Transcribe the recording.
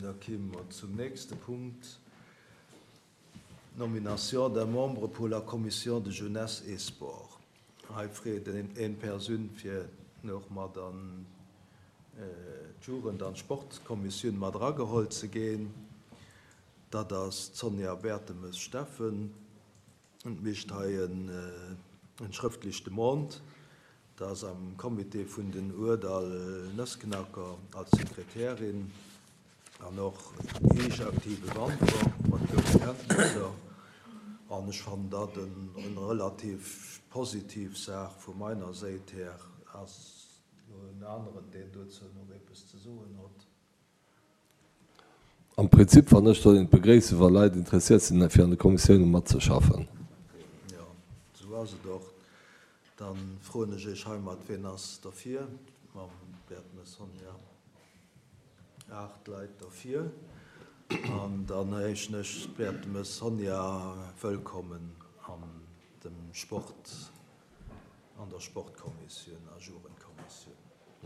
Da kéime mer zum nächste Punkt, Nomination d'un membre pour la Commission de jeunesse et sport. Hei freet een Persoun fir och mat an d'Jugend an d'Sportkommissioun mat erageholl ze ginn. Dat ass d'Sonja Bertemes-Steffen. Et mécht hei en schrëftlech Demande, dass am Comité vun den Ourdall Nëssknacker als Sekretärin an och héich aktive Wanderer mat goude Kenntnisser, an ech fannen dat en relativ positiv Saach vu meiner Séit här. Ass lo en aneren, deen dozou nach eppes ze soen hott? Am Prinzip fannen ech, soll een et begréissen, wa Leit interessiert sinn, fir an de Kommissiounen matzeschaffen. Jo, esou ass et och. Da froen ech Iech heimat, Wien ass derfir? Mam Bertmes Sonja, 8 Leit derfir. An dann heeschen ech d'Bertemes Sonja wëllkommen an dem Sport, an der Sportkommissioun a Jugendkommissioun.